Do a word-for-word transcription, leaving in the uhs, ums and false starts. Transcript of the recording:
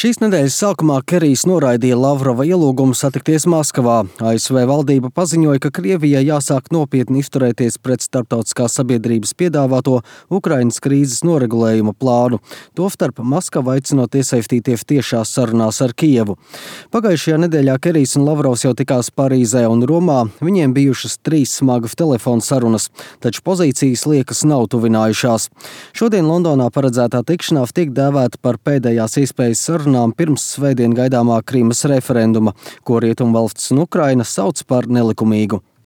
Šīs nedēļas sākumā Kerijs noraidīja Lavrova ielūgumu satikties Maskavā. A S V valdība paziņoja, ka Krievijai jāsāk nopietni izturēties pret starptautiskās sabiedrības piedāvāto Ukrainas krīzes noregulējuma plānu, tostarp Maskavu aicinot iesaistīties tiešās sarunās ar Kijevu. Pagājušajā nedēļā Kerijs un Lavrovs jau tikās Parīzē un Romā. Viņiem bijušas trīs smagas telefona sarunas, taču pozīcijas liekas nav tuvinājušās. Šodien Londonā paredzētā tikšanās tiek dēvēta par pēdējās iespējas sarunām pirms svētdien gaidāmā Krimas referenduma, ko Rietumvalstis un Ukraina sauc par nelikumīgu.